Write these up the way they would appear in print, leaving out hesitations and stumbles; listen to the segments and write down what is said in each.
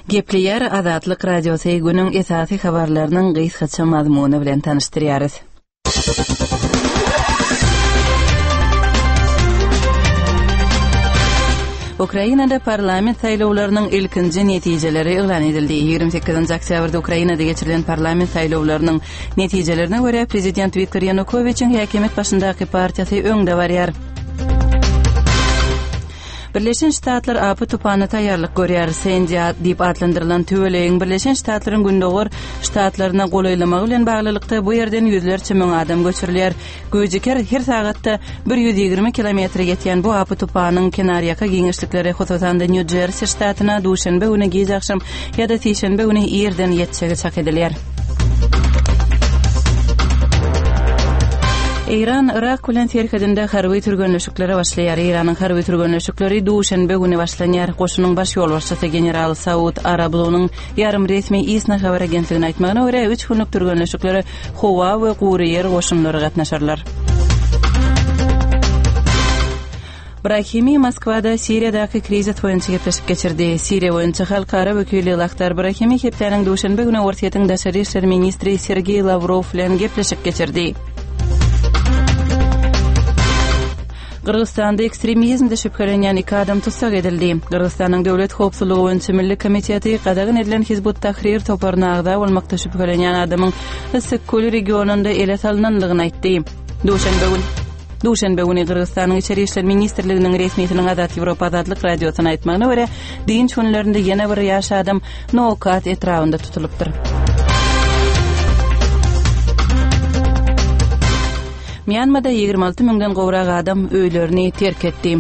Gepleýär Azatlyk Radiosy günüň esasy habarlarynyň gysgaça mazmuny bilen tanyşdyrýarys. Ukrainada parlament saýlawlarynyň ilkinji netijeleri yglan edildi. 28-nji oktýabrda Ukrainada geçirilen parlament saýlawlarynyň netijelerine görä, prezident Wiktor Ýanukowiçiň häkimiýet başyndaky partiýasy öňde barýar. Birleşen Ştatlar apy-tupana taýýarlyk görýär. Sendi diýip atlandyrylan tüweleýiň Birleşen Ştatlaryň gündogar ştatlaryna golaýlamagy bilen baglylykda bu ýerden ýüzlerçe müň adam göçürilýär. Güýji her sagatda 120 kilometre ýetýän bu apy-tupanyň kenarýaka giňişliklere, hususan-da Nýu-Jersi ştatyna duşenbe güni giç agşam ýa-da sişenbe güni irden ýetjegi çak edilýär. Eýran Yrak bilen serhedinde harby türgenleşiklere başlaýar. Eýranyň harby türgenleşikleri duşenbe güni başlanýar. Goşunyň baş ýolbaşçysy general Saud Arablunyň ýarym resmi ISNA habar agentligine aýtmagyna görä, üç günlük türgenleşiklere howa we gury ýer goşunlary gatnaşarlar. Brahimi Moskwada Siriýadaky krizis boýunça gepleşik geçirdi. Siriýa boýunça halkara wekili Lakhdar Brahimi hepdäniň duşenbe güni Orsýetiň daşary işler ministri Sergeý Lawrow bilen gepleşik geçirdi. Gyrgyzystanda ekstremizmde şübhelenýän iki adam tussag edildi. Gyrgyzystanyň Döwlet howpsuzlygy boýunça milli komiteti gadagan edilen Hizb ut-Tahrir toparyna agza bolmakda şübhelenýän adamyň Issyk-Kül regionynda ele salnandygyny aýtdy. Duşenbe güni Duşenbe güni Gyrgyzystanyň Içeri işler ministrliginiň resmisiniň Azat Ýewropa Azatlyk Radiosyna aýtmagyna görä, dynç günlerinde ýene bir ýaş adam Nokat etrabynda tutulypdyr. Mýanmada 26 müňden gowrak adam öýlerini terk etdi.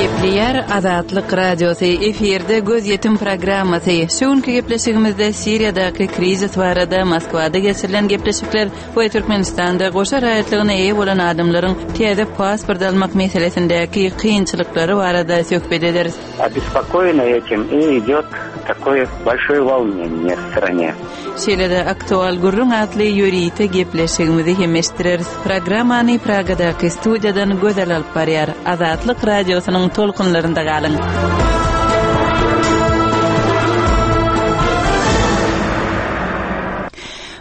Gepleýär Azatlyk Radiosy, efirde Gözýetim programmasy. Şu günki gepleşigimizde Siriýadaky krizis barada Moskwada geçirilen gepleşikler we Türkmenistanda goşa raýatlygyna eýe bolan adamlaryň täze pasport almak meselesindäki kynçylyklary barada söhbet ederis. Obespokoena etим i idýot takoýe bolşoýe wolneniýe w strane. Şeýle-de Aktual gürrüň atly ýörite gepleşigimizi hem eşitdireris. Programmany Pragadaky studiýadan Gözel alyp barýar. Azatlyk Radiosynyň tolkunlarynda galyň!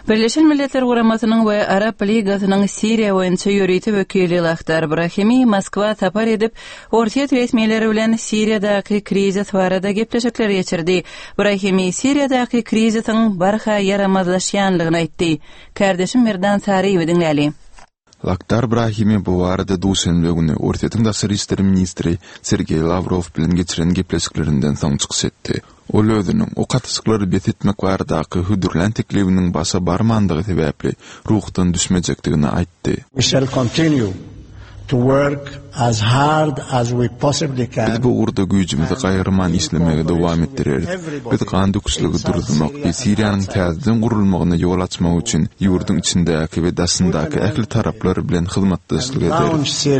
Birleşen Milletler Guramasynyň we Arap Ligasynyň Siriýa boýunça ýörite wekili Lahdar Brahimi Moskwa sapar edip, Orsýet resmileri bilen Siriýadaky krizis barada gepleşikler geçirdi. Brahimi Siriýadaky krizisiň barha ýaramazlaşýanlygyny aýtdy. Kärdeşim Merdan Saryýewi diňläli. Lakhdar Brahimi bu barada duşenbe güni Orsýetiň daşary işler ministri Sergeý Lawrow bilen geçiren gepleşiklerinden soň çykyş etdi. Ol özüniň ok atyşyklary bes etmek baradaky hödürlän teklibiniň başa barmandygy sebäpli ruhdan düşmejekdigini aýtdy. We shall continue to work as hard as we possibly can. Biz bu ugurda güýjümizi gaýgyrman işlemegi dowam etdireris. Biz gan döküşligi duruzmak we Siriýanyň täzeden gurulmagyna ýol açmak üçin ýurduň içindäki we daşyndaky ähli taraplar bilen hyzmatdaşlyk ederis.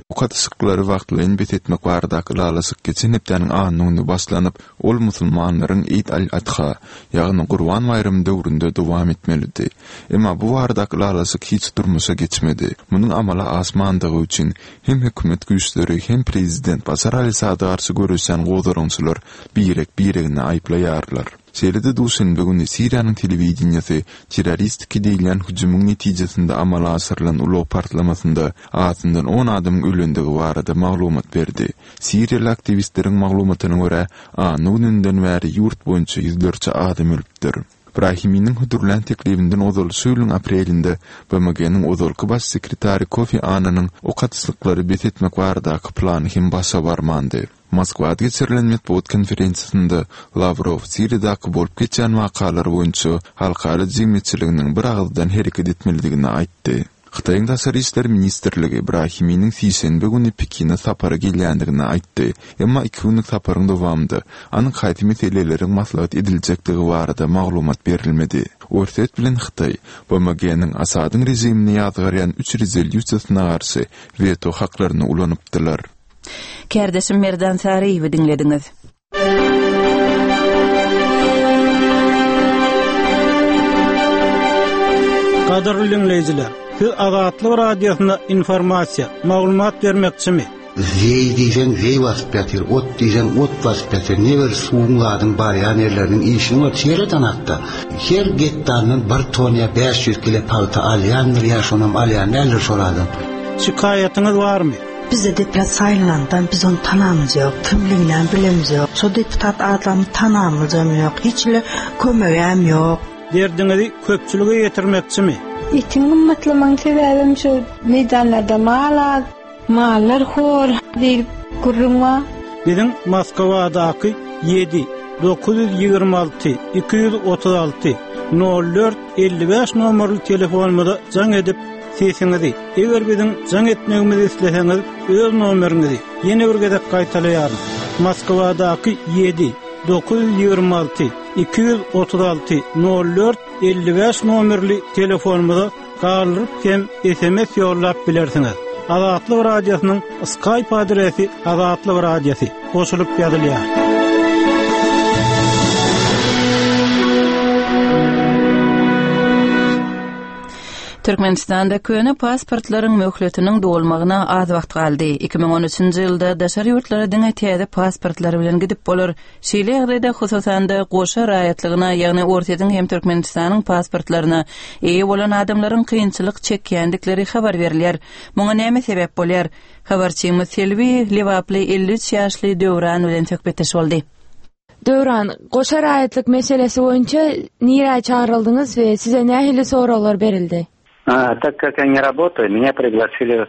Ok atyşyklary wagtlaýyn bes etmek baradaky ylalaşyk geçen hepdäniň anna güni başlanyp, ol musulmanlaryň Eid al-Adha, ýagny Gurban baýramy döwründe dowam etmelidi. Emma bu baradaky ylalaşyk hiç durmuşa geçmedi. Munuň amala aşmandygy üçin hem hökümet güýçleri, hem prezident Başar al-Assada garşy göreşýän gozgalaňçylar birek-biregini aýyplaýarlar. Şeýle-de duşenbe güni Siriýanyň telewideniýesi terroristiki diýilýän hüjümiň netijesinde amala aşyrylan ulag partlamasynda azyndan on adamyň ölendigi barada maglumat berdi. Siriýaly aktiwistleriň maglumatyna görä, anna gününden bäri ýurt boýunça ýüzlerçe adam ölüpdir. Brahiminiň hödürlän teklibinden ozal şu ýylyň aprelinde BMG-niň ozalky Baş sekretary Kofi Annanyň ok atyşlyklary bes etmek baradaky plany hem başa barmandy. Moskwada geçirilen metbugat konferensiýasynda Lawrow Siriýadaky bolup geçýän wakalar boýunça halkara jemgyýetçiliginiň bir agyzdan hereket etmelidigini aýtdy. Hytaýyň Daşary işler ministrligi Brahiminiň sişenbe güni Pekine sapara gelýändigini aýtdy. Emma iki günlük saparyň dowamynda anyk haýsy meseleleriň maslahat ediljekdigi barada maglumat berilmedi. Orsýet bilen Hytaý BMG-niň Asadyň režimini ýazgarýan üç rezolýusiýasyna garşy weto haklaryny ulanypdylar. Kärdeşim Merdan Saryýewi diňlediňiz. Gadyrly diňleýjiler, siz Azatlyk Radiosyna informasiýa, maglumat bermekçimi? Zeý diýseň zeý basyp ýatyr, ot diýseň ot basyp ýatyr. Ne bir suwuň zadyň barýan ýerleriniň işini gör, seret anakda. Her gektaryndan bir ton ýa 500 kile pagta alýandyr ýa şonam alýan däldir şol adam. Şikaýatyňyz barmy? Bizde deputat saýlanandan biz ony tanamyz ýok, kimliginem bilemiz ýok. Şo deputat adamy tanamyzam ýok, hiç hili kömegem ýok. Derdiňizi köpçülige ýetirmekçimi? Etiň gymmatlamagyň sebäbem şu meýdanlarda mal az, mallar hor diýlip gürrüň bar. Biziň Moskwadaky 7 926 236 04 55 nomerli telefonymyza jaň edip, sesiňizi, eger biziň jaň etmegimizi isleseňiz, öz nomeriňizi ýene bir gezek gaýtalaýaryn, Moskwadaky 7 926 236 04 55 nomerli telefonymyza galdyryp hem sms ýollap bilersiňiz. Azatlyk Radiosynyň Skype adresi Azatlyk Radiosy goşulyp ýazylýar. Türkmenistanda köne pasportlaryň möhletiniň dolmagyna az wagt galdy. 2013-nji ýylda daşary ýurtlara diňe täze pasportlar bilen gidip bolar. Şeýle ýagdaýda, hususan-da, goşa raýatlygyna, ýagny Orsýetiň hem Türkmenistanyň pasportlaryna eýe bolan adamlaryň kynçylyk çekýändikleri habar berilýär. Muňa näme sebäp bolýar? Habarçymyz Selbi lebaply 53 ýaşly Döwran bilen söhbetdeş boldy. Döwran, goşa raýatlyk meselesi boýunça nirä çagyryldyňyz we size nähili soraglar berildi? Tak kak ýa ne rabotaýu, menýa priglasili w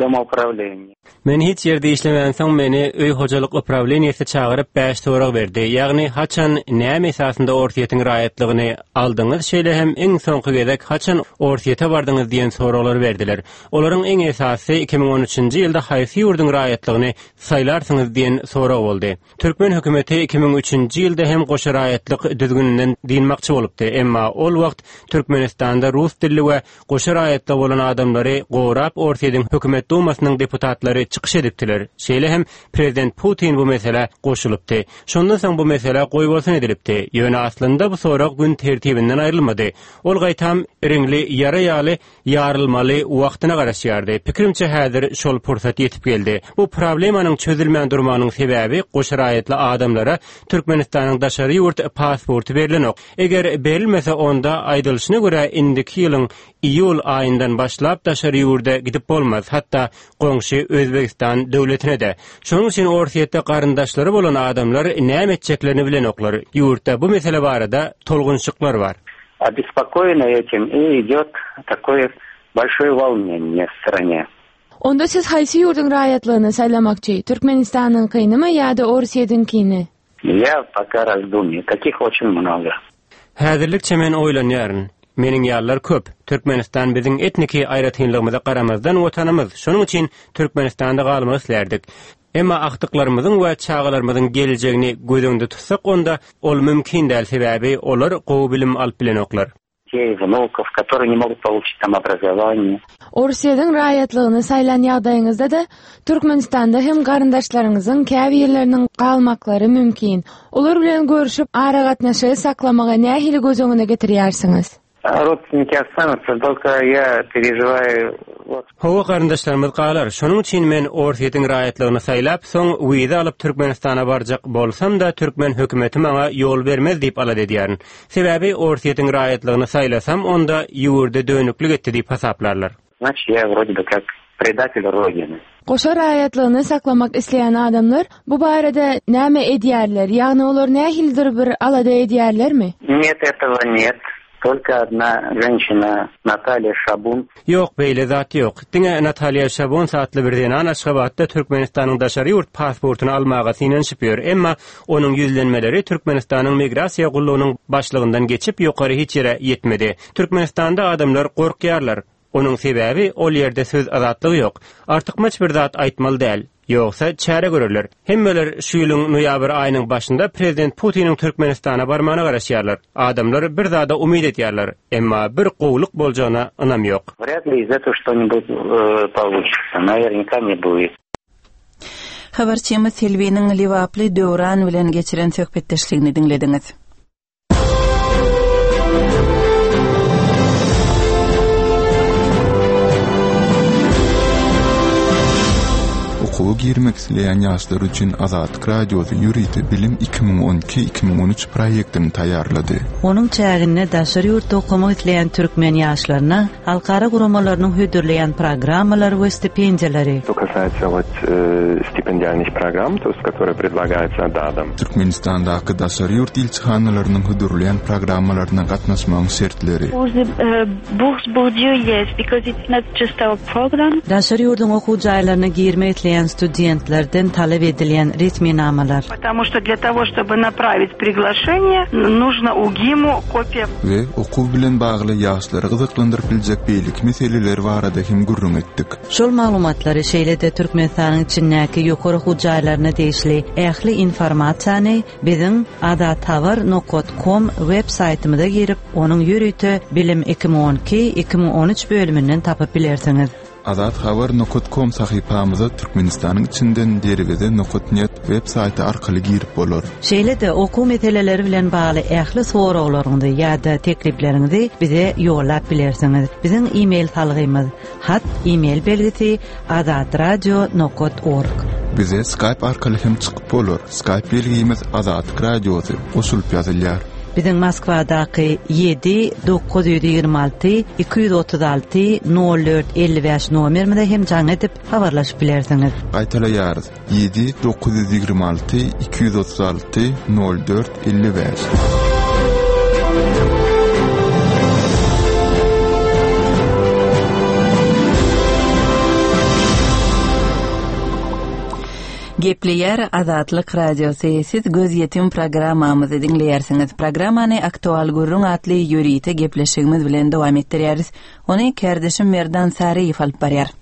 domoupravleniýe. Men hiç ýerde işlemänsoň meni öý hojalyk uprawleniýesi çagyryp bäş sorag berdi, ýagny haçan, näme esasynda Orsýetiň raýatlygyny aldyňyz şeýle hem iň soňky gezek haçan Orsýete bardyňyz diýen soraglary berdiler. Olaryň iň esasysy 2013-nji ýylda haýsy ýurduň raýatlygyny saýlarsyňyz diýen sorag boldy. Türkmen hökümeti 2003-nji ýylda hem goşa raýatlyk düzgüninden dynmakçy bolupdy, emma ol wagt Türkmenistanda rus dilli we goşa raýatlygy bolan adamlary gorap Orsýetiň Hökümet Dumasynyň deputatlary çykyş edipdiler. Şeýle hem prezident Putin bu meselä goşulypdy. Şondan soň bu mesele goýbolsun edilipdi. Ýöne aslynda bu sorag gün tertibinden aýrylmady. Ol gaýtam iriňli ýara ýaly ýarylmaly wagtyna garaşýardy. Pikirimçe häzir şol pursat ýetip geldi. Bu problemanyň çözülmän durmagynyň sebäbi goşa raýatly adamlara Türkmenistanyň daşary ýurt pasporty berlenok. Eger berilmese onda aýdylyşyna görä indiki ýylyň iýul aýyndan başlap daşary ýurda gidip bolmaz, hatda goňşy Özbegistan döwletine-de. Şonuň üçin Orsýetde garyndaşlary bolan adamlar näme etjeklerini bilenoklar. Ýurtda bu mesele barada tolgunşyklar bar. Obespokoena этим и idýot takoýe bolşoýe wolneniýe w strane. Onda siz haýsy ýurduň raýatlygyny saýlamakçy, Türkmenistanyňkynymy ýa-da Orsýetiňkini? Ýa poka razdumýe, takih oçin mnogo. Häzirlikçe men oýlanýaryn. Meniň ýalylar köp. Türkmenistan biziň etniki aýratynlygymyza garamazdan watanymyz. Şonuň üçin Türkmenistanda galmak islärdik. Emma agtyklarymyzyň we çagalarymyzyň geljegini göz öňünde tutsak onda ol mümkin däl sebäbi olar gowy bilim alyp bilenoklar. Detey, wnukow, kotorye ne mogut poluçit tam obrazowaniýe. Orsýetiň raýatlygyny saýlan ýagdaýyňyzda-da, Türkmenistanda hem garyndaşlaryňyzyň käbirleriniň galmaklary mümkin. Olar bilen görüşip aragatnaşygy saklamagy nähili göz öňüne getirýärsiňiz? Rodstwenniki ostanutsa, tolko ýa perežiwaýu wot. Hawa garyndaşlarymyz galar. Şonuň üçin men Orsýetiň raýatlygyny saýlap, soň wiza alyp Türkmenistana barjak bolsam-da türkmen hökümeti maňa ýol bermez diýip alada edýärin. Sebäbi Orsýetiň raýatlygyny saýlasam onda ýurda dönüklik etdi diýip hasaplarlar. Znaçit ýa wrode by kak predatel rodiny. Goşa raýatlygyny saklamak isleýän adamlar bu barada näme edýärler, ýagny olar nähilidir bir alada edýärlermi? Net etogo net, tolko odna ženşina Natalýa Şabun. Ýok, beýle zat ýok. Diňe Natalýa Şabuns atly bir zenan Aşgabatda Türkmenistanyň daşary ýurt pasportyny almaga synanyşyp ýör. Emma onuň ýüzlenmeleri Türkmenistanyň Migrasiýa gullugynyň başlygyndan geçip ýokary hiç ýere ýetmedi. Türkmenistanda adamlar gorkýarlar. Onuň sebäbi ol ýerde söz azatlygy ýok. Artykmaç bir zat aýtmaly däl. Ýogsa çäre görerler. Hemmeler şu ýylyň noýabr aýynyň başynda prezident Putiniň Türkmenistana barmagyna garaşýarlar. Adamlar bir zada umyt edýärler, emma bir gowulyk boljagyna ynam ýok. Wrýad li iz этого что-нибудь получится, nawernika ne будет. Habarçymyz Selbiniň lebaply Döwran bilen geçiren söhbetdeşligini diňlediňiz. Okuwa girmek isleýän ýaşlar üçin Azatlyk Radiosy ýörite Bilim 2012, 2013 proýektini taýýarlady. Onuň çäginde daşary ýurtda okamak isleýän türkmen ýaşlaryna Halkara guramalarynyň hödürleýän programmalary we stipendiýalary. Что касается вот стипендиальных программ, то есть которые предлагаются ДАДом. Türkmenistandaky daşary ýurt ilçihanalarynyň hödürleýän programmalaryna gatnaşmagyň şertleri. Daşary ýurduň okuw jaýlaryna girmek isleýän studentlerden talap edilýän resminamalar. Потому что для того, чтобы naprawить priglaşeniýe, нужно UGIMU kopiýa. We okuw bilen bagly ýaşlary gyzyklandyryp biljek beýleki meseleler barada hem gürrüň etdik. Şol maglumatlary, şeýle-de Türkmenistanyň içindäki ýokary okuw jaýlaryna degişli ähli informasiýany biziň azathabar nokat kom web saýtymyza girip, onuň ýörite Bilim 2012, 2013 bölüminden tapyp bilersiňiz. Azathabar nokat kom sahypamyza Türkmenistanyň içinden derweze nokat net web saýty arkaly girip bolar. Şeýle-de okuw meseleleri bilen bagly ähli soraglaryňyzy ýa-da teklipleriňizi bize ýollap bilersiňiz. Biziň e-mail salgymyz, hat e-mail belgisi azatradio nokat org. Bize Skype arkaly hem çykyp bolar. Skype belgimiz Azatlyk Radiosy, goşulyp ýazylýar. Biziň Moskwadaky ýedi 926 236 04 55 nomerimize hem jaň edip habarlaşyp bilersiňiz. Gaýtalaýarys, ýedi 926 236 04 55. Gepleýär Azatlyk Radiosy, Siz Gözýetim programmamyzy diňleýärsiňiz. Programmany Aktual gürrüň atly ýörite gepleşigimiz bilen dowam etdirýäris. Ony kärdeşim Merdan Saryýew alyp barýar.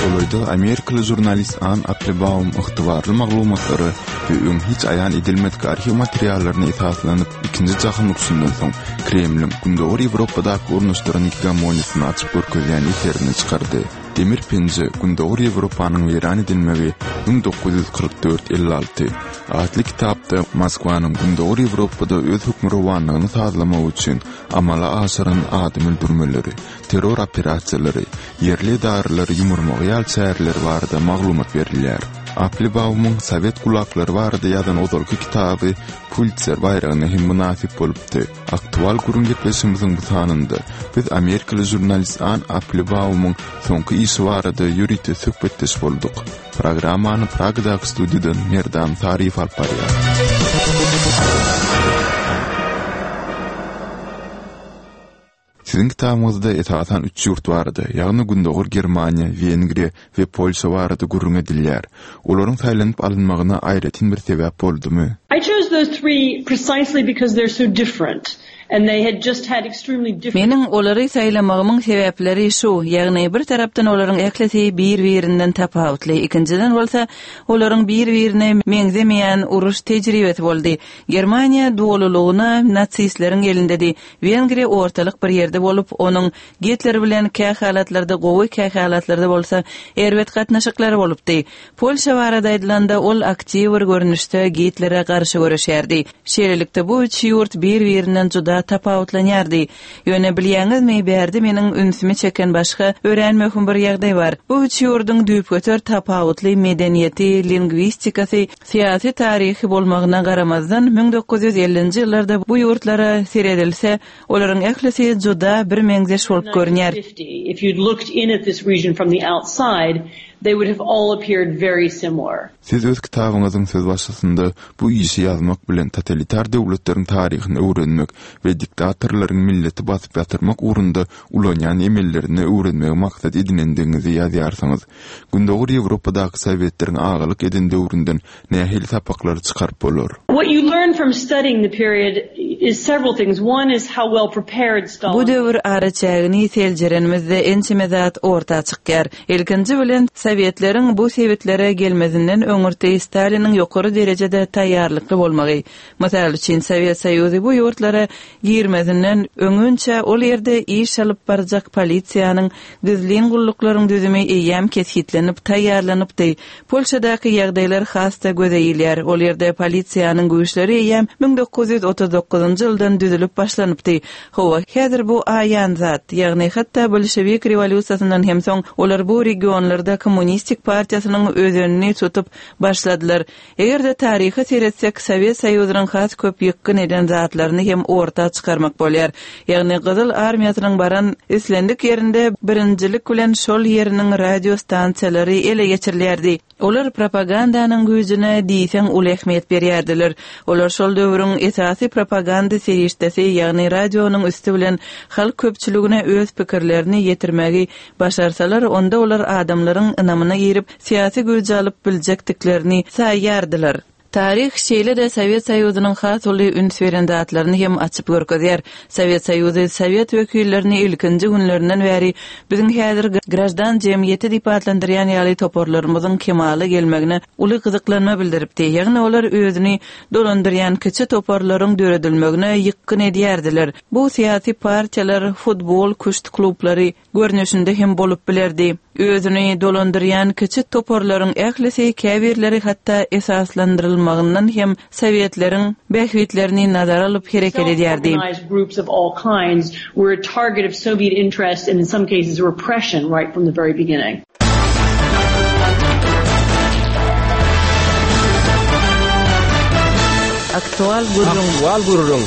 Golaýda amerikaly žurnalist Ann Applebaum ygtybarly maglumatlara we öň hiç aýan edilmedik arhiw materiallaryna esaslanyp, Ikinji jahan urşundan soň Kremliň Gündogar Ýewropadaky ornaşdyran gegemoniýasyny açyp görkezýän eserini çykardy. Demir penje, Gündogar Ýewropanyň weýran edilmegi 1944, 56 atly kitapda Moskwanyň Gündogar Ýewropada öz hökmürowanlygyny sazlamak üçin amala aşyran adam öldürmeleri, terror operasiýalary, ýerli edaralary ýumurmagy ýaly çäreleri barada maglumat berilýär. Applebaumyň sowet gulaklary barada ýazan ozalky kitaby Pulitzer baýragyna hem mynasyp bolupdy. Aktual gürrüň gepleşigimiziň bu sanynda biz amerikaly žurnalist Ann Applebaumyň soňky işi barada ýörite söhbetdeş bolduk. Programmany Pragadaky studiýadan Merdan Saryýew alyp barýar. Siziň kitabyňyzda esasan üç ýurt barada, ýagny Gündogar Germaniýa, Wengriýa we Polşa barada gürrüň edilýär. Olaryň saýlanyp alynmagyna aýratyn bir sebäp boldumy? I chose those three precisely because they're so different and they had just had extremely different. Meniň olary saýlamagymyň sebäpleri şu, ýagny bir tarapdan olaryň ählisi bir-birinden tapawutly, ikinjiden bolsa, olaryň bir-birine meňzemeýän uruş tejribesi boldy. Germaniýa dolulygyna nasistleriň elindedi, Wengriýa ortalyk bir ýerde bolup, onuň Gitler bilen kähalatlarda gowy, kähalatlarda bolsa erbet gatnaşyklary bolupdy. Polşa barada aýdylanda, ol aktiw bir görnüşde Gitlere garşy göreşýärdi. Şeýlelikde, bu üç ýurt bir-birinden juda tapawutlanýardy. Ýöne, bilýäňizmi, bärde meniň ünsümi çeken başga örän möhüm bir ýagdaý bar. Bu üç ýurduň düýpgöter tapawutly medeniýeti, lingwistikasy, Syýasy taryhy bolmagyna garamazdan, 1950-nji ýyllarda bu ýurtlara seredilse, olaryň ählisi juda birmeňzeş bolup görünýär. They would have all appeared very similar. Siz öz kitabyňyzyň sözbaşysynda bu işi ýazmak bilen totalitar döwletleriň taryhyny öwrenmek we diktatorlaryň milleti basyp ýatyrmak ugrunda ulanýan emellerini öwrenmegi maksat edinendigiňizi ýazýarsyňyz. Gündogar Ýewropadaky sowetleriň agalyk eden döwründen nähili sapaklary çykaryp bolar? What you learn from studying the period is several things. One is how well prepared Stalin. Bu döwür araçägini seljerenimizde ençeme zat orta çykýar. Ilkinji bilen, sowetleriň bu sebitlere gelmezinden öňürti Staliniň ýokary derejede taýýarlykly bolmagy. Mysal üçin, Sowet Soýuzy bu ýurtlara girmezinden öňünçä ol ýerde iş alyp barjak polisiýanyň, gizlin gulluklaryň düzümi eýýäm kesgitlenip, taýýarlanypdy. Polşadaky ýagdaýlar has-da göze ilýär. Ol ýerde polisiýanyň güýçleri eýýäm 1939-njy ýyldan düzülip başlanypdy. Hawa, häzir bu aýan zat. Ýagny, hatda bolşewik rewolýusiýasyndan hem soň olar bu regionlarda kommunistik partiýasynyň özenini tutup başladylar. Eger-de taryha seretsek, Sowet Soýuzynyň has köp ýykgyn eden zatlaryny hem orta çykarmak bolýar. Ýagny Gyzyl Armiýasynyň baran islendik ýerinde birinjilik bilen şol ýeriniň radio stansiýalary ele geçirilýärdi. Olar propagandanyň güýjüne diýseň uly ähmiýet berýärdiler. Olar şol döwrüň esasy propaganda serişdesi, ýagny radionyň üsti bilen halk köpçüligine öz pikirlerini ýetirmegi başarsalar, onda olar adamlaryň ynamyna girip, syýasy güýji alyp biljekdiklerini saýýardylar. Taryh şeýle-de Sowet Soýuzynyň has uly üns beren zatlaryny hem açyp görkezýär. Sowet Soýuzy sowet wekillerini ilkinji günlerinden bäri biziň häzir graždan jemgyýeti diýip atlandyrýan ýaly toparlarymyzyň kemala gelmegine uly gyzyklanma bildiripdi. Ýagny olar özüni dolandyrýan kiçi toparlaryň döredilmegine ýykgyn edýärdiler. Bu syýasy partiýalar, futbol, küşt klublary, görnüşinde hem bolup bilerdi. Özüni dolandyrýan kiçi toparlaryň ählisi, käbirleri hatda esaslandyrylmagyndan hem sowetleriň bähbitlerini nazara alyp hereket edýärdi. Self-organized groups of all kinds were a target of Soviet interest and in some cases repression right from the very beginning. Aktual gürrüň. Aktual gürrüň.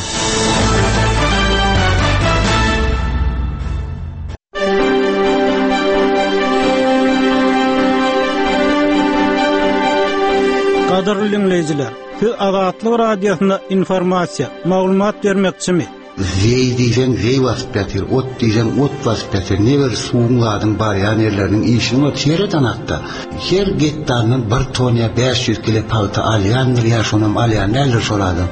Gadyrly diňleýjiler, siz Azatlyk Radiosyna informasiýa, maglumat bermekçimi? Zeý diýseň zeý basyp ýatyr, ot diýseň ot basyp ýatyr, ne bir suwuň zadyň barýan ýerleriniň işini bor, seredanakda her gektaryndan bir ton ýa 500 kile pagta alýandyr ýa şonam alýan däldir şol adam.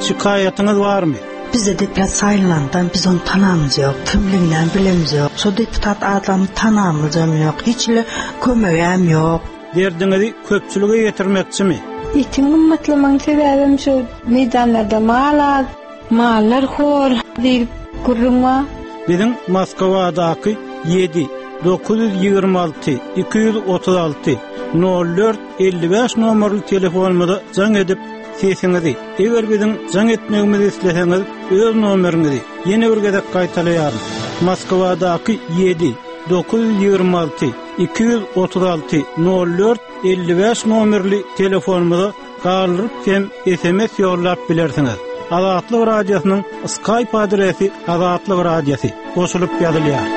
Şikaýatyňyz barmy? Bize deputat saýlanandan biz ony tanamyz ýok, kimliginem bilemiz ýok. Şo deputat adamy tanamyzam ýok, hiç hili kömegem ýok. Derdiňizi köpçülige ýetirmekçimi? Etiň gymmatlamagyň sebäbem şo meýdanlarda mal az. Mallar hor diýlip gürrüň bar. Biziň Moskwadaky ýedi, 926 236 04 55 nomerli telefonymyza jaň edip, sesiňizi, eger biziň jaň etmegimizi isleseňiz, öz nomeriňizi, ýene bir gezek gaýtalaýaryn, Moskwadaky ýedi, 926 236 04 55 nomerli telefonymyza galdyryp hem sms ýollap bilersiňiz. Azatlyk Radiosynyň Skype adresi Azatlyk Radiosy goşulyp ýazylýar.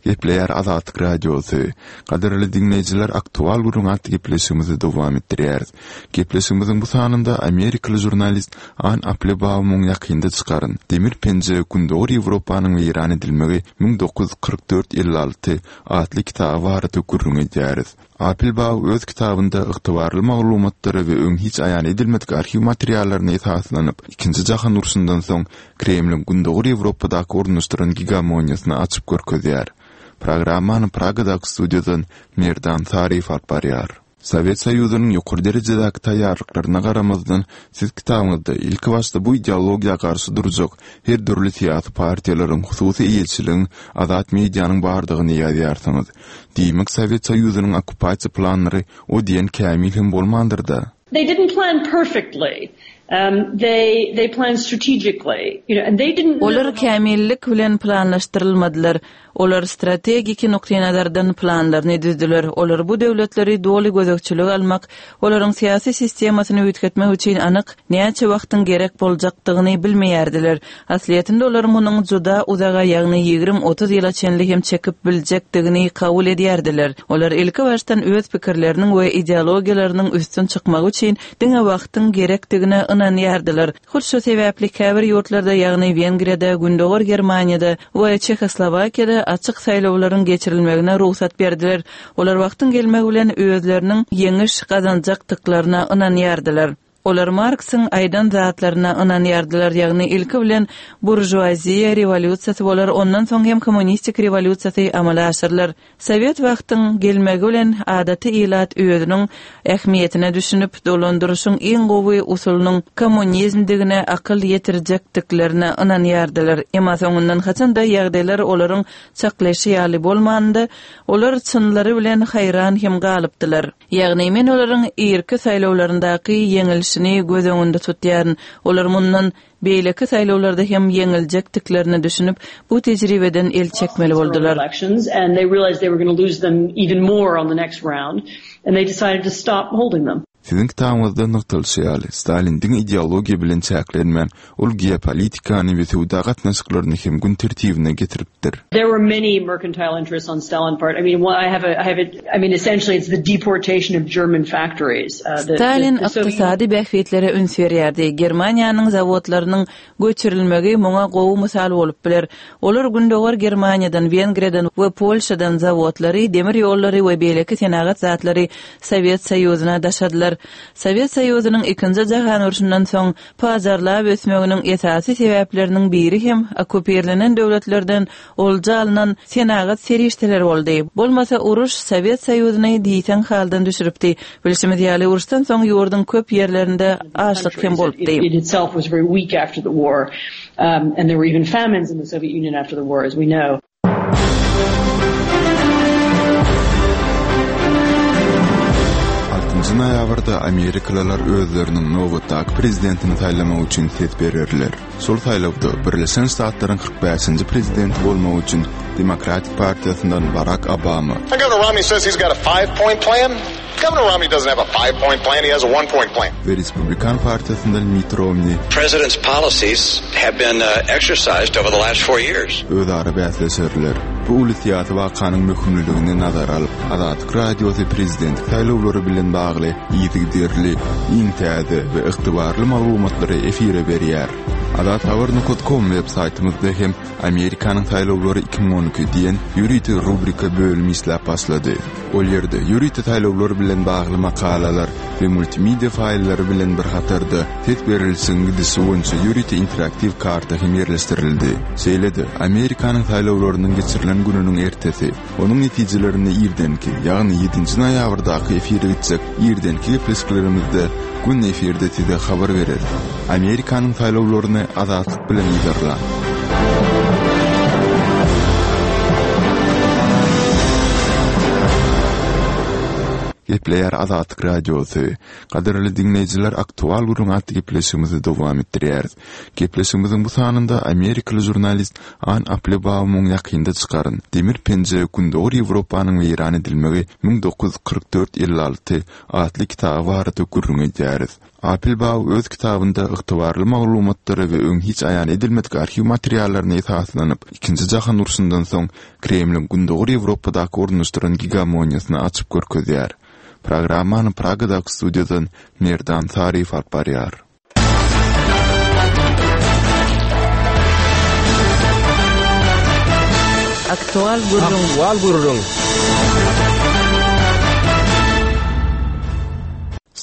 Gepleýär Azatlyk Radiosy. Gadyrly diňleýjiler Aktual gürrüň atly gepleşigimizi dowam etdirýäris. Gepleşigimiziň bu sanynda amerikaly žurnalist Ann Applebaumyň ýakynda çykaran Demir penje, Gündogar Ýewropanyň weýran edilmegi 1944, 56 atly kitaby barada gürrüň edýäris. Applebaum öz kitabynda ygtybarly maglumatlara we öň hiç aýan edilmedik arhiw materiallaryna esaslanyp, Ikinji jahan urşundan soň Kremliň Gündogar Ýewropadaky ornaşdyran gegemoniýasyny açyp görkezýär. Programmany Pragadaky studiýadan Merdan Saryýew alyp barýar. Sowet Soýuzynyň ýokary derejedäki taýýarlyklaryna garamazdan, siz kitabyňyzda ilkibaşda bu ideologiýa garşy durjak her dürli syýasy partiýalaryň, hususy eýeçiligiň, azat medianyň bardygyny ýazýarsyňyz. Diýmek, Sowet Soýuzynyň okkupasiýa planlary o diýen kämil hem bolmandyr-da? They didn't plan perfectly. Um, they they planned strategically, you know, and they didn't Olar kämillik bilen planlaşdyrylmadylar. Olar strategiki nukdaýnazardan planlaryny düzdüler. Olar bu döwletleri doly gözegçilige almak, olaryň syýasy sistemasyny üýtgetmek üçin anyk näçe wagtyň gerek boljakdygyny bilmeýärdiler. Aslyýetinde olar munuň juda uzaga, ýagny ýigrim-otuz ýyla çenli hem çekip biljekdigini kabul edýärdiler. Olar ilki başdan öz pikirleriniň we ideologiýalarynyň üstün çykmagy üçin diňe wagtyň gerekdigine ynanýardylar. Hut şu sebäpli käbir ýurtlarda, ýagny Wengriýada, Gündogar Germaniýada we Çehoslowakiýada açyk saýlawlaryň geçirilmegine rugsat berdiler. Olar wagtyň gelmegi bilen özleriniň ýeňiş gazanjakdyklaryna ynanýardylar. Olar Marksyň aýdan zatlaryna ynanýardylar, ýagny ilki bilen buržuaziýa rewolýusiýasy bolar, ondan soň hem kommunistik rewolýusiýasy amala aşyrylar. Sowet wagtyň gelmegi bilen adaty ilat özüniň ähmiýetine düşünip, dolandyryşyň iň gowy usulynyň kommunizmdigine akyl ýetirjekdiklerine ynanýardylar. Emma soňundan haçanda ýagdaýlar olaryň çaklaýşy ýaly bolmanynda, olar çynlary bilen haýran hem galypdylar. Ýagny men olaryň irki saýlawlaryndaky ýeňilişini göz öňünde tutýaryn. Olar mundan beýleki saýlawlarda hem ýeňiljekdiklerine düşünip, bu tejribeden el çekmeli boldular. Siziň kitabyňyzda nygtalyşy ýaly, Stalin diňe ideologiýa bilen çäklenmän, ol geopolitikany we söwda gatnaşyklaryny hem gün tertibine getiripdir. There were many mercantile interests on Stalin part. I mean, I have a, I have a, I mean, essentially it's the deportation of German factories. Uh, Stalin ykdysady bähbitlere üns berýärdi. Germaniýanyň zawodlarynyň göçürilmegi muňa gowy mysal bolup biler. Olar Gündogar Germaniýadan, Wengriýadan we Polşadan zawodlary, demir ýollary we beýleki senagat zatlary Sowet Soýuzyna daşadylar. Sowet Soýuzynyň Ikinji jahan urşundan soň pajarlap ösmeginiň esasy sebäpleriniň biri hem okkupirlenen döwletlerden olja alnan senagat serişdeleri boldy. Bolmasa uruş Sowet Soýuzyny diýseň haldan düşüripdi. Bilşimiz ýaly uruşdan soň ýurduň köp ýerlerinde açlyk hem bolupdy. Altynjy noýabrda amerikalylar özleriniň nobatdaky prezidentini saýlamak üçin ses bererler. Şol saýlawda Birleşen Ştatlaryň 45-nji prezidenti bolmak üçin Demokratik partiýasyndan Barak Obama, Governor Romney says he's got a five-point plan. Governor Romney doesn't have a five-point plan, he has a one-point plan. We Respublikan partiýasyndan Mitt Romni. President's policies have been exercised over the last four years. Özara bäsleşerler. Bu uly syýasy wakanyň möhümliligini nazara alyp, Azatlyk Radiosy prezidentlik saýlawlary bilen bagly yzygiderli, iň täze we ygtybarly maglumatlary efire berýär. Azathabar nokat kom web saýtymyzda hem Amerikanyň saýlawlary 2012 diýen ýörite rubrika bölüm işläp başlady. Ol ýerde ýörite saýlawlar bilen bagly makalalar we multimedia faýllary bilen bir hatarda ses berilişigiň gidişi boýunça ýörite interaktiw karta hem ýerleşdirildi. Şeýle-de, Amerikanyň saýlawlarynyň geçirilen gününiň ertesi, onuň netijelerini irdenki, ýagny ýedinji noýabrdaky efire gitjek irdenki gepleşiklerimizde göni efirde size habar bereris. Amerikanyň saýlawlaryny Azatlyk bilen yzarlaň! Gepleýär Azatlyk Radiosy. Gadyrly diňleýjiler Aktual gürrüň atly gepleşigimizi dowam etdirýäris. Gepleşigimiziň bu sanynda amerikaly žurnalist Ann Applebaumyň ýakynda çykaran Demir penje Gündogar Ýewropanyň weýran edilmegi 1944 56 atly kitaby barada gürrüň edýäris. Appelbaum öz kitabynda ygtybarly maglumatlara we öň hiç aýan edilmedik arhiw materiallaryna esaslanyp, Ikinji jahan urşundan soň Kremliň Gündogar Ýewropadaky ornaşdyran gegemoniýasyny açyp görkezýär. Programmany Pragadaky studiýadan Merdan Saryýew alyp barýar. Aktual gürrüň. Aktual gürrüň.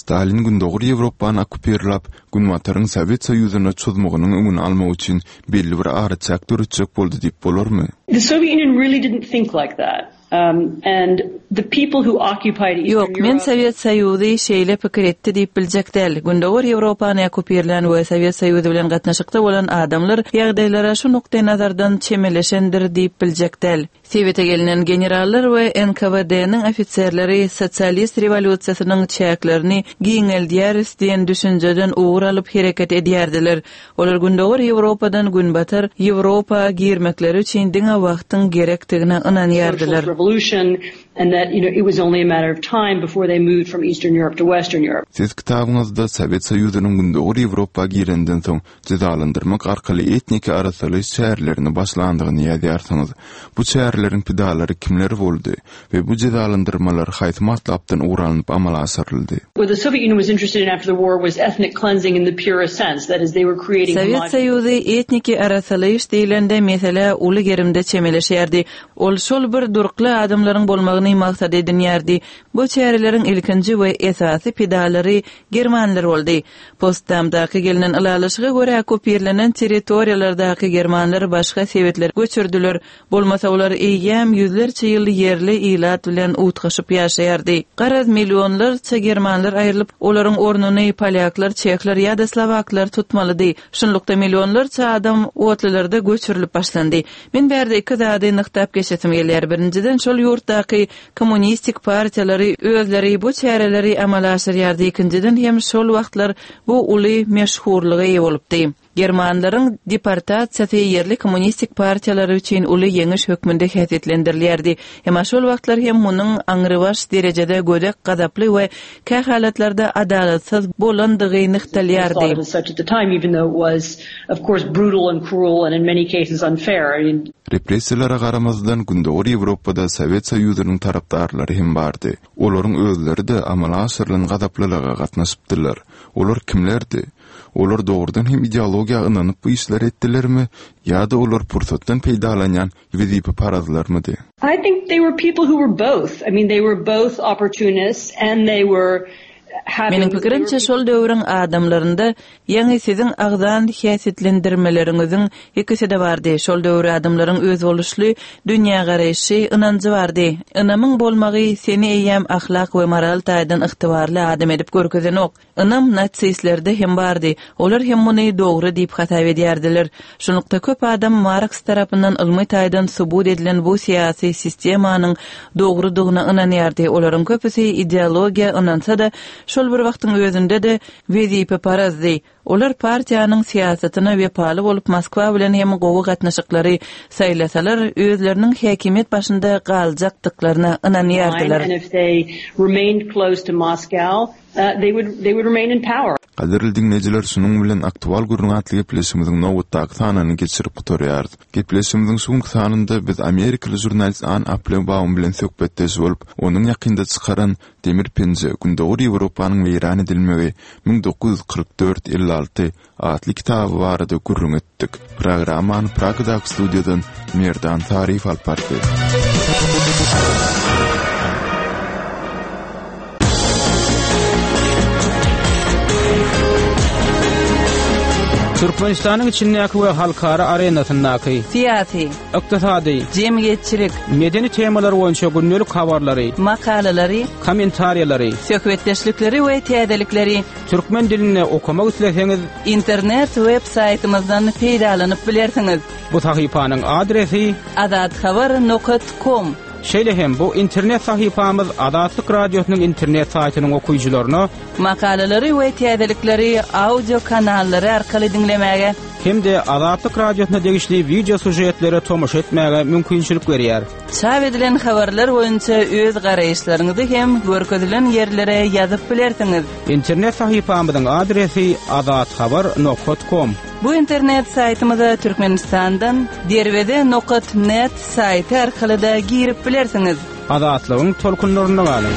Stalin Gündogar Ýewropany okkupirläp, Günbataryň Sowet Soýuzyna çozmagynyň öňüni almak üçin belli bir araçäk döretjek boldy diýip bolarmy? The Soviet Union really didn't think like that. Um, and the people who occupied Eastern Ýok, men Sowet Soýuzy şeýle pikir etdi diýip biljek däl. Gündogar Ýewropany okkupirlän we Sowet Soýuzy bilen gatnaşykda bolan adamlar ýagdaýlara şu nukdaýnazardan çemeleşendir diýip biljek däl. Sebite gelnen generallar we NKWD-niň ofiserleri sosialist rewolýusiýasynyň çäklerini giňeldýäris diýen düşünjeden ugur alyp hereket edýärdiler. Olar Gündogar Ýewropadan Günbatar Ýewropa girmekleri üçin diňe wagtyň gerekdigine ynanýardylar. Siz kitabyňyzda Sowet Soýuzynyň Gündogar Ýewropa girenden soň jezalandyrmak arkaly etniki arassalaýyş çärelerini başlandygyny ýazýarsyňyz. Bu çäreleriň pidalary kimler boldy we bu jezalandyrmalar haýsy matlapdan ugur alnyp amala aşyryldy? Sowet Soýuzy etniki arassalaýyş diýlende meselä uly gerimde çemeleşýärdi. Ol şol bir durkly adamlaryň bolmagyny maksat edinýärdi. Bu çäreleriň ilkinji we esasy pidalary germanlar boldy. Postdamdaky gelnen ylalaşyga görä okupirlenen territoriýalardaky germanlar başga sebitlere göçürdiler, bolmasa olar eýýäm ýüzlerçe ýyl ýerli ilat bilen utgaşyp ýaşaýardy. Garaz millionlarça germanlar aýrylyp, olaryň ornuny polýaklar, çehler ýa-da slowaklar tutmalydy. Şunlukda millionlarça adam otlularda göçürilip başlandy. Men bärde iki zady nygtap geçesim gelýär. Birinjiden şol ýurtdaky Kommunistik partiýalary özleri bu çäreleri amala aşyrýardy, ikinjiden hem şol wagtlar bu uly meşhurlyga eýe bolupdy. Germanlaryň deportasiýasy ýerli kommunistik partiýalary üçin uly ýeňiş hökmünde häsiýetlendirilýärdi. Emma şol wagtlar hem munuň aňrybaş derejede gödek, gazaply we kähalatlarda adalatsyz bolandygy nygtalýardy. Repressiýalara garamazdan, Gündogar Ýewropada Sowet Soýuzynyň tarapdarlary hem bardy. Olaryň özleri-de amala aşyrylan gazaplylyga gatnaşypdylar. Olar kimlerdi? Olar dogrudan hem ideologiýa ynanyp bu işleri etdilermi ýa-da olar pursatdan peýdalanýan wezipeparazlarmydy? I think they were people who were both. I mean, they were both opportunists and they were Meniň pikirimçe, şol döwrüň adamlarynda, ýaňy siziň agzan häsiýetlendirmeleriňiziň ikisi-de bardy. Şol döwür adamlaryň özboluşly dünýägaraýşy, ynanjy bardy. Ynamyň bolmagy seni eýýäm ahlak we moral taýdan ygtybarly adam edip görkezenok. Ynam nasistlerde hem bardy, olar hem muny dogry diýip hasap edýärdiler. Şunlukda köp adam Marks tarapyndan ylmy taýdan subut edilen bu syýasy sistemanyň dogrudygyna ynanýardy, olaryň köpüsi ideologiýa ynansa-da, şol bir wagtyň özünde-de wezipeparazdy. Olar partiýanyň syýasatyna wepaly bolup Moskwa bilen hem gowy gatnaşyklary saýlasalar, özleriniň häkimiýet başynda galjakdyklaryna ynanýardylar. Gadyrly diňleýjiler şunuň bilen Aktual gürrüň atly gepleşigimiziň nobatdaky sanyny geçirip gutarýarys. Gepleşigimiziň şu günki sanynda biz amerikaly žurnalist Ann Applebaum bilen söhbetdeş bolup, onuň ýakynda çykaran Demir penje, Gündogar Ýewropanyň weýran edilmegi, 1944, 56, atly kitaby barada gürrüň etdik. Programmany Pragadaky studiýadan Merdan Saryýew alyp bardy. Türkmenistanyň içindäki we halkara arenasyndaky Syýasy. Ykdysady. Jemgyýetçilik. Medeni temalar boýunça gündelik habarlary. Makalalary. Kommentariýalary. Söhbetdeşlikleri we täzelikleri. Türkmen dilinde okamak isleseňiz. Internet web saýtymyzdan peýdalanyp bilersiňiz. Bu sahypanyň adresi. Azathabar nokat kom. Şeýle hem bu internet sahypamyz Azatlyk Radiosynyň internet saýtynyň okyjylaryna. Makalalary we täzelikleri audio kanallary arkaly diňlemäge. Hem-de Azatlyk Radiosyna degişli wideo sýužetlere tomaşa etmäge mümkinçilik berýär. Çap edilen habarlar boýunça öz garaýyşlaryňyzy hem görkezilen ýerlere ýazyp bilersiňiz. Internet sahypamyzyň adresi azathabar nokat kom. Bu internet saýtymyza Türkmenistandan Derweze nokat net saýty arkaly-da girip bilersiňiz. Azatlygyň tolkunlarynda galyň!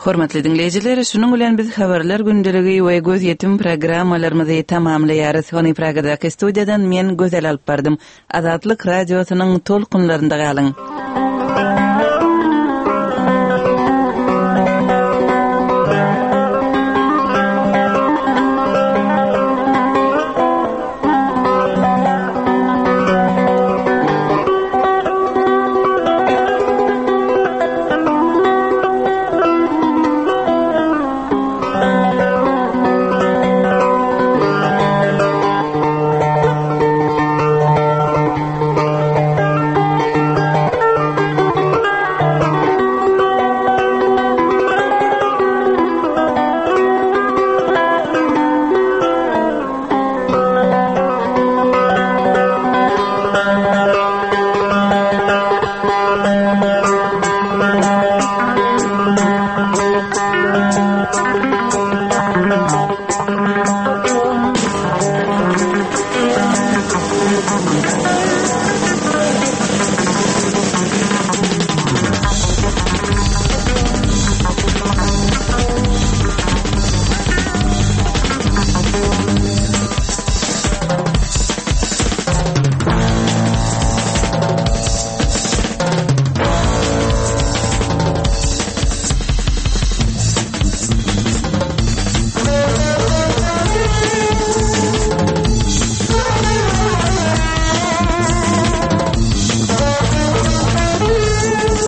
Hormatly diňleýjiler, şunuň bilen biz Habarlar gündeligi we Gözýetim programmalarymyzy tamamlaýarys. Ony Pragadaky studiýadan men Gözel alyp bardym. Azatlyk Radiosynyň tolkunlarynda galyň!